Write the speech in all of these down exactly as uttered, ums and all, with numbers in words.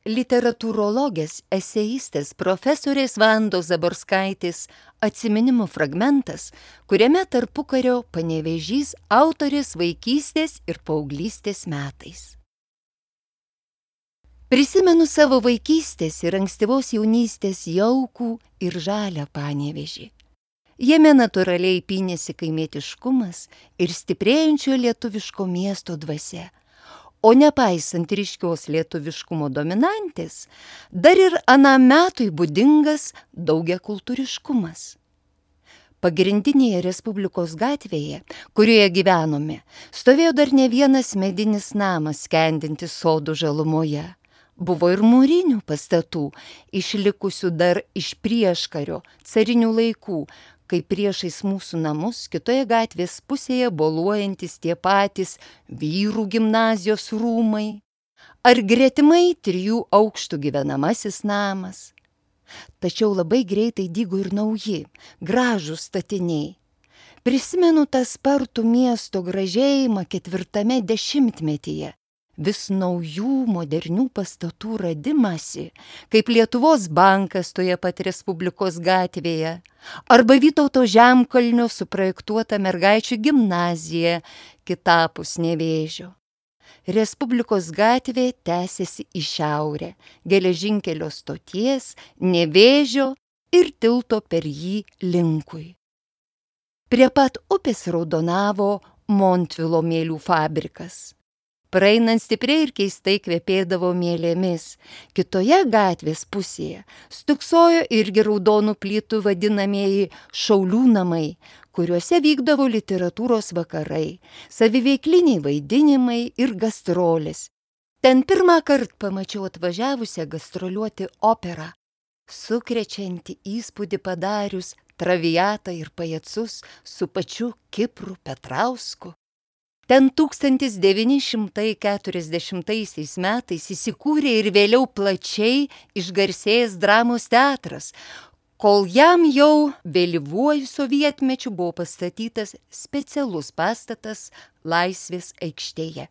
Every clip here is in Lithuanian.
Literatūrologės, eseistės profesorės Vandos Zaborskaitės atsiminimų fragmentas, kuriame tarpukario Panevėžys autorės vaikystės ir paauglystės metais. Prisimenu savo vaikystės ir ankstyvos jaunystės jaukų ir žalią Panevėžį. Jame natūraliai pynėsi kaimietiškumas ir stiprėjančio lietuviško miesto dvasia. O nepaisant ryškios lietuviškumo dominantės, dar ir anam metui būdingas daugiakultūriškumas. Pagrindinėje Respublikos gatvėje, kurioje gyvenome, stovėjo dar ne vienas medinis namas skendintis sodų žalumoje. Buvo ir mūrinių pastatų, išlikusių dar iš prieškario, carinių laikų, kai priešais mūsų namus kitoje gatvės pusėje boluojantis tie patys vyrų gimnazijos rūmai, ar gretimai trijų aukštų gyvenamasis namas. Tačiau labai greitai dygo ir nauji, gražūs statiniai. Prisimenu tą spartų miesto gražėjimą ketvirtame dešimtmetyje, vis naujų modernių pastatų radimasi, kaip Lietuvos bankas toje pat Respublikos gatvėje, arba Vytauto Žemkalnio suprojektuota mergaičių gimnazija kitapus Nevėžio. Respublikos gatvė tęsiasi į šiaurę, geležinkelio stoties, Nevėžio ir tilto per jį linkui. Prie pat upės raudonavo Montvilo mielių fabrikas. Praeinant stipriai ir keistai kvepėdavo mielėmis. Kitoje gatvės pusėje stuksojo irgi raudonų plytų vadinamieji šaulių namai, kuriuose vykdavo literatūros vakarai, saviveikliniai vaidinimai ir gastrolės. Ten pirmą kartą pamačiau atvažiavusią gastroliuoti operą, sukrečiantį įspūdį padarius Traviatą ir Pajacus su pačiu Kipru Petrausku. Ten tūkstantis devyni šimtai keturiasdešimtaisiais metais įsikūrė ir vėliau plačiai išgarsėjęs dramos teatras, kol jam jau vėlyvuoju sovietmečiu buvo pastatytas specialus pastatas Laisvės aikštėje.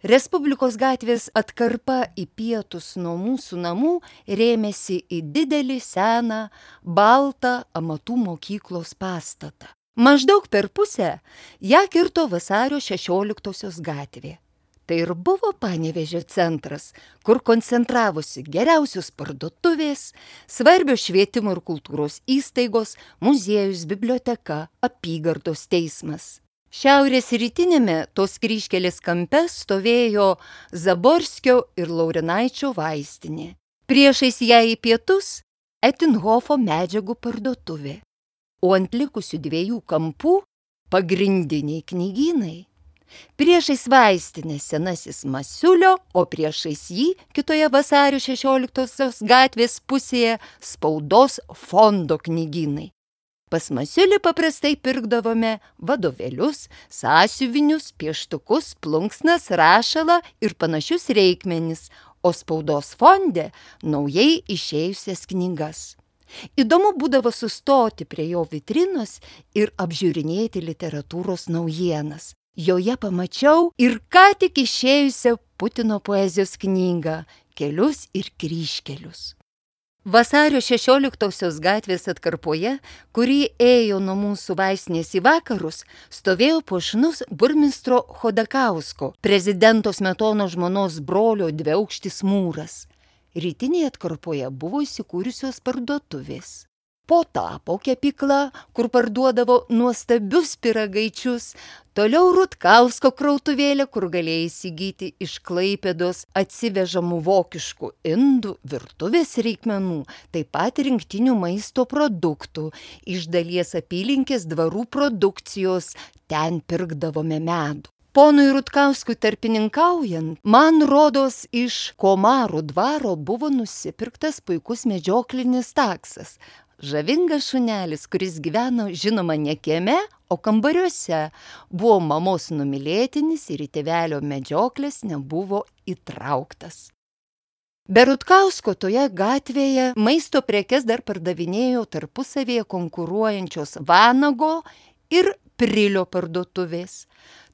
Respublikos gatvės atkarpa į pietus nuo mūsų namų rėmėsi į didelį seną baltą amatų mokyklos pastatą. Maždaug per pusę ją kirto Vasario šešioliktosios gatvė. Tai ir buvo Panevėžio centras, kur koncentravosi geriausios parduotuvės, svarbios švietimo ir kultūros įstaigos, muziejus, biblioteka, apygardos teismas. Šiaurės rytinėme tos kryžkelės kampe stovėjo Zaborskio ir Laurinaičio vaistinė. Priešais ją į pietus Etinhofo medžiagų parduotuvė. O ant likusių dviejų kampų pagrindiniai knygynai. Priešais vaistinę senasis Masiulio, o priešais jį kitoje Vasario šešioliktosios gatvės pusėje spaudos fondo knygynai. Pas Masiulį paprastai pirkdavome vadovėlius, sąsiuvinius, pieštukus, plunksnas, rašalą ir panašius reikmenis, o spaudos fonde naujai išėjusias knygas. Įdomu būdavo sustoti prie jo vitrinos ir apžiūrinėti literatūros naujienas. Joje pamačiau ir ką tik išėjusią Putino poezijos knygą Kelius ir kryžkelius. Vasario šešioliktosios gatvės atkarpoje, kuri ėjo nuo mūsų vaistinės į vakarus, stovėjo puošnus burmistro Chodakausko, prezidento Smetonos žmonos brolio dviaukštis mūras. Rytinėje atkarpoje buvo įsikūrusios parduotuvės. Po tapo kepykla, kur parduodavo nuostabius pyragaičius, toliau Rutkausko krautuvėlė, kur galėjai įsigyti iš Klaipėdos atsivežamų vokiškų indų, virtuvės reikmenų, taip pat rinktinių maisto produktų, iš dalies apylinkės dvarų produkcijos, ten pirkdavome medų. Ponui Rutkauskui tarpininkaujant, man rodos iš Komarų dvaro buvo nusipirktas puikus medžioklinis taksas. Žavingas šunelis, kuris gyveno žinoma ne kieme, o kambariuose, buvo mamos numylėtinis ir į tėvelio medžioklės nebuvo įtrauktas. Be Rutkausko toje gatvėje maisto prekes dar pardavinėjo tarpusavėje konkuruojančios Vanago ir Prilio parduotuvės.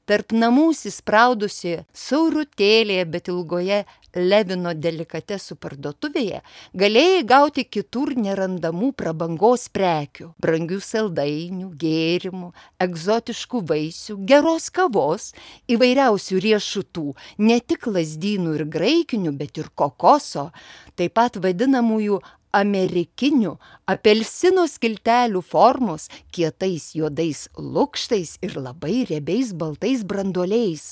Tarp namų įsispraudusi saurutėlėje, bet ilgoje Levino delikatesų parduotuvėje galėjai gauti kitur nerandamų prabangos prekių, brangių saldainių, gėrimų, egzotiškų vaisių, geros kavos, įvairiausių riešutų, ne tik lazdynų ir graikinių, bet ir kokoso, taip pat vadinamųjų amerikinių apelsino skiltelių formos, kietais juodais lukštais ir labai riebiais baltais branduoliais,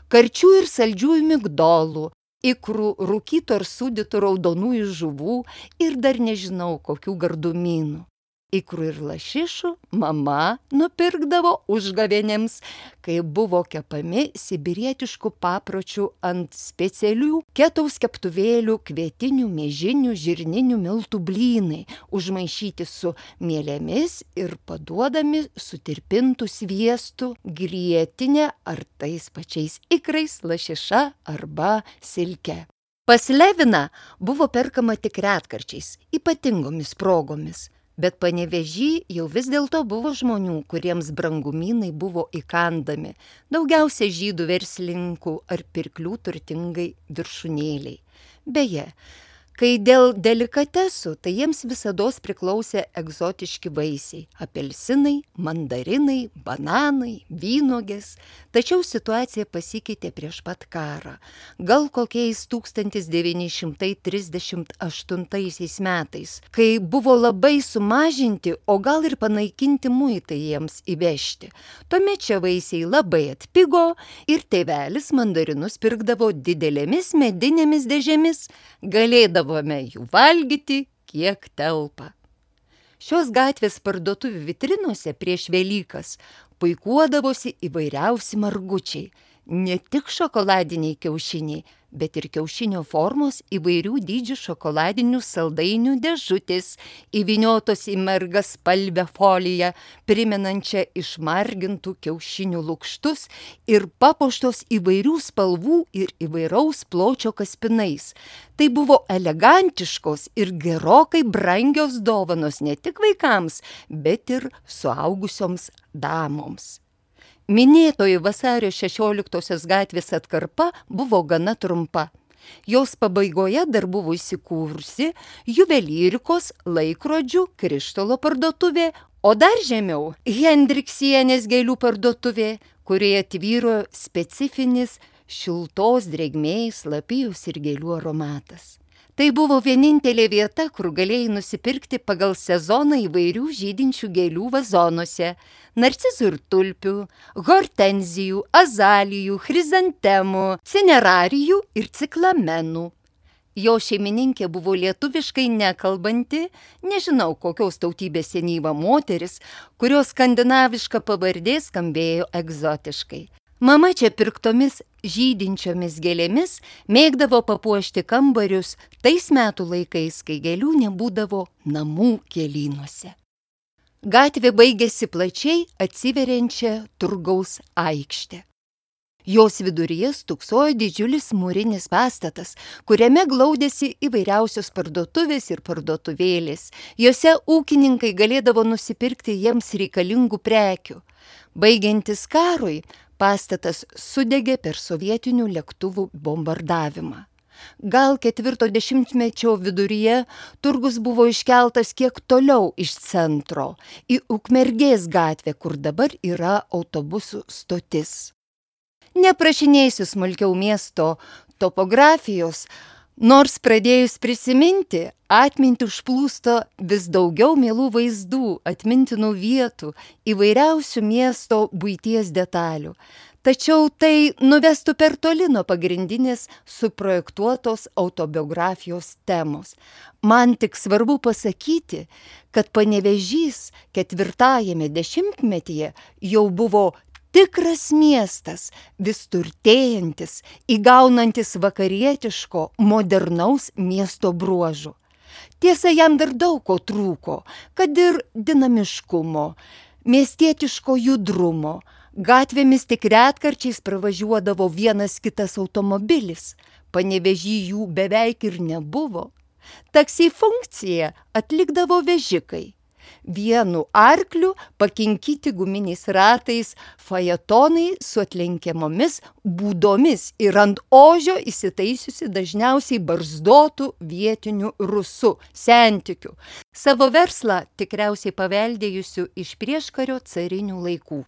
karčių ir saldžiųjų migdolų, ikrų, rūkytų ar sūdytų raudonųjų žuvų ir dar nežinau kokių gardumynų. Ikrų ir lašišų mama nupirkdavo užgavėnėms, kai buvo kepami sibirietiškų papročių ant specialių ketaus keptuvėlių kvietinių, miežinių, žirninių miltų blynai, užmaišyti su mielėmis ir paduodami sutirpintų sviestų, grietinė ar tais pačiais ikrais, lašiša arba silke. Pas Leviną buvo perkama tik retkarčiais, ypatingomis progomis. Bet Panevėžy jau vis dėlto buvo žmonių, kuriems brangumynai buvo įkandami, daugiausia žydų verslininkų ar pirklių turtingai viršūnėliai. Beje, kai dėl delikatesų, tai jiems visados priklausė egzotiški vaisiai – apelsinai, mandarinai, bananai, vynuogės. Tačiau situacija pasikeitė prieš pat karą. Gal kokiais tūkstantis devyni šimtai trisdešimt aštuntaisiais metais, kai buvo labai sumažinti, o gal ir panaikinti muitai jiems įvežti. Tuomet čia vaisiai labai atpigo ir tėvelis mandarinus pirkdavo didelėmis medinėmis dėžėmis, galėdavome jų valgyti, kiek telpa. Šios gatvės parduotuvių vitrinose prieš Velykas puikuodavosi įvairiausi margučiai, ne tik šokoladiniai kiaušiniai, bet ir kiaušinio formos įvairių dydžių šokoladinių saldainių dėžutės, įvyniotos į margaspalvę foliją, primenančią išmargintų kiaušinių lukštus ir papuoštos įvairių spalvų ir įvairaus pločio kaspinais. Tai buvo elegantiškos ir gerokai brangios dovanos ne tik vaikams, bet ir suaugusioms damoms. Minėtoji vasario šešioliktosios gatvės atkarpa buvo gana trumpa. Jos pabaigoje dar buvo įsikūrusi juvelyrikos, laikrodžių, krištolo parduotuvė, o dar žemiau Hendriksienės gėlių parduotuvė, kurioje tvyro specifinis šiltos drėgmės, lapijos ir gėlių aromatas. Tai buvo vienintelė vieta, kur galėjai nusipirkti pagal sezoną įvairių žydinčių gėlių vazonuose – narcizų ir tulpių, hortenzijų, azalijų, chrizantemų, cinerarijų ir ciklamenų. Jo šeimininkė buvo lietuviškai nekalbanti, nežinau kokios tautybės senyva moteris, kurios skandinaviška pavardė skambėjo egzotiškai. Mama čia pirktomis žydinčiomis gėlėmis mėgdavo papuošti kambarius tais metų laikais, kai gėlių nebūdavo namų gėlynuose. Gatvė baigėsi plačiai atsiveriančią turgaus aikštę. Jos viduryje stūksojo didžiulis mūrinis pastatas, kuriame glaudėsi įvairiausios parduotuvės ir parduotuvėlės. Jose ūkininkai galėdavo nusipirkti jiems reikalingų prekių. Baigiantis karui, pastatas sudegė per sovietinių lėktuvų bombardavimą. Gal ketvirto dešimtmečio viduryje turgus buvo iškeltas kiek toliau iš centro, į Ukmergės gatvę, kur dabar yra autobusų stotis. Neprašinėsiu smulkiau miesto topografijos, nors pradėjus prisiminti, atmintį užplūsto vis daugiau mielų vaizdų, atmintinų vietų, įvairiausių miesto buities detalių. Tačiau tai nuvestų per toli nuo pagrindinės suprojektuotos autobiografijos temos. Man tik svarbu pasakyti, kad Panevėžys ketvirtajame dešimtmetyje jau buvo tikras miestas, vis turtėjantis, įgaunantis vakarietiško, modernaus miesto bruožų. Tiesa, jam dar daug ko trūko, kad ir dinamiškumo, miestietiško judrumo. Gatvėmis tik retkarčiais pravažiuodavo vienas kitas automobilis, Panevėžy jų beveik ir nebuvo. Taksi funkciją atlikdavo vežikai. Vienu arkliu pakinkyti guminiais ratais fajetonai su atlenkiamomis būdomis ir ant ožio įsitaisiusi dažniausiai barzdotų vietinių rusų, sentikių, savo verslą tikriausiai paveldėjusių iš prieškario carinių laikų.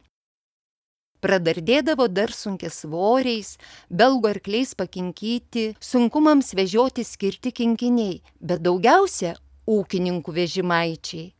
Pradardėdavo dar sunkiasvoriais, belgų arkliais pakinkyti, sunkumams vežioti skirti kinkiniai, bet daugiausia ūkininkų vežimaičiai.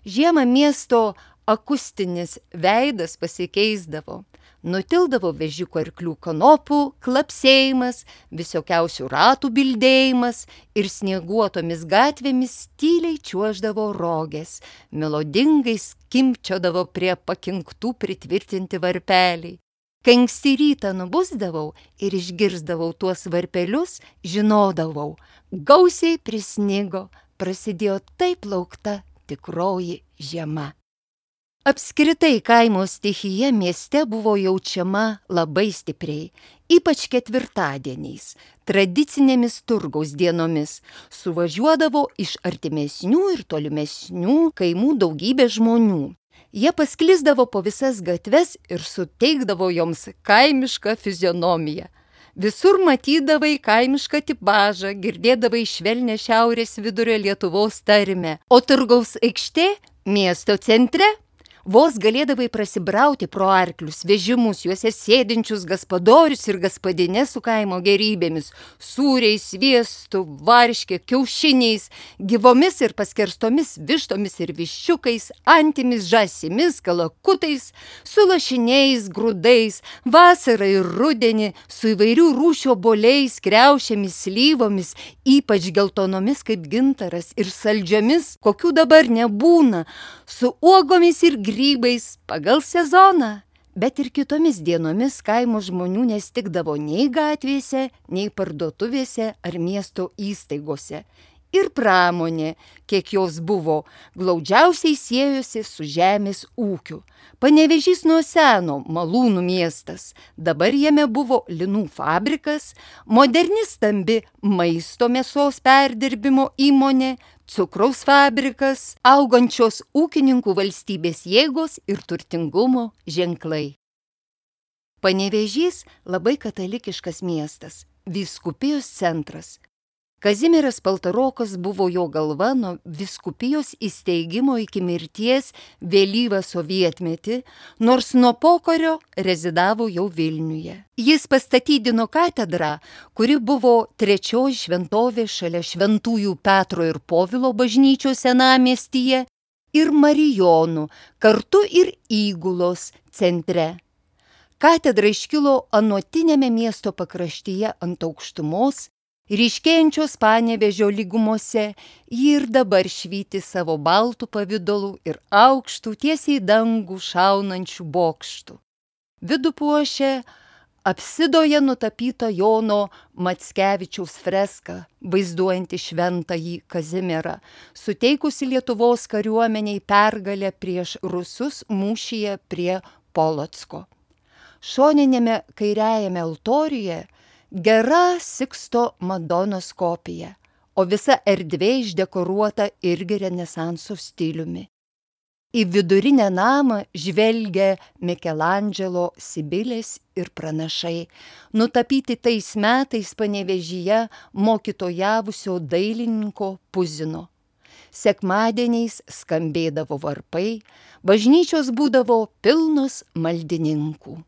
Žiemą miesto akustinis veidas pasikeisdavo. Nutildavo vežikų arklių kanopų klapsėjimas, visokiausių ratų bildėjimas ir snieguotomis gatvėmis tyliai čiuoždavo rogės, melodingai skimbčiodavo prie pakinktų pritvirtinti varpeliai. Kai anksti rytą nubusdavau ir išgirsdavau tuos varpelius, žinodavau, gausiai prisnigo, prasidėjo taip laukta tikroji žiema. Apskritai kaimo stichija mieste buvo jaučiama labai stipriai, ypač ketvirtadieniais, tradicinėmis turgaus dienomis. Suvažiuodavo iš artimesnių ir tolimesnių kaimų daugybė žmonių. Jie pasklisdavo po visas gatves ir suteikdavo joms kaimišką fizionomiją. Visur matydavai kaimišką tipažą, girdėdavai švelnią šiaurės vidurio Lietuvos tarmę, o turgaus aikštė miesto centre vos galėdavai prasibrauti pro arklius, vežimus, juose sėdinčius gaspadorius ir gaspadines su kaimo gerybėmis, sūriais, sviestu, varške, kiaušiniais, gyvomis ir paskerstomis vištomis ir viščiukais, antimis, žąsimis, kalakutais, su lašiniais, grūdais, vasarą ir rudenį, su įvairių rūšių obuoliais, kriaušėmis, slyvomis, ypač geltonomis kaip gintaras ir saldžiomis, kokių dabar nebūna, su uogomis ir grybais pagal sezoną, bet ir kitomis dienomis kaimo žmonių nestikdavo nei gatvėse, nei parduotuvėse ar miesto įstaigose. Ir pramonė, kiek jos buvo, glaudžiausiai siejosi su žemės ūkiu. Panevėžys nuo seno malūnų miestas, dabar jame buvo linų fabrikas, moderni stambi maisto mėsos perdirbimo įmonė, cukraus fabrikas, augančios ūkininkų valstybės jėgos ir turtingumo ženklai. Panevėžys labai katalikiškas miestas, vyskupijos centras. Kazimieras Paltarokas buvo jo galva nuo vyskupijos įsteigimo iki mirties vėlyvą sovietmetį, nors nuo pokario rezidavo jau Vilniuje. Jis pastatydino katedrą, kuri buvo trečioji šventovė šalia Šventųjų Petro ir Povilo bažnyčios senamiestyje ir Marijonų, kartu ir Įgulos centre. Katedra iškilo anuotinėme miesto pakraštyje ant aukštumos, ryškėjančios Panevėžio lygumose, ji ir dabar švyti savo baltų pavidalų ir aukštų tiesiai dangų šaunančių bokštų. Vidų puošia apsidoje nutapyta Jono Mackevičiaus freska, vaizduojanti šventąjį Kazimierą, suteikusi Lietuvos kariuomeniai pergalę prieš rusus mūšyje prie Polocko. Šoninėme kairiajame altoriuje gera Siksto Madonos kopija, o visa erdvė išdekoruota irgi renesanso stiliumi. Į vidurinę namą žvelgia Mikelandželo Sibilės ir pranašai, nutapyti tais metais Panevėžyje mokytojavusio dailininko Puzino. Sekmadieniais skambėdavo varpai, bažnyčios būdavo pilnos maldininkų.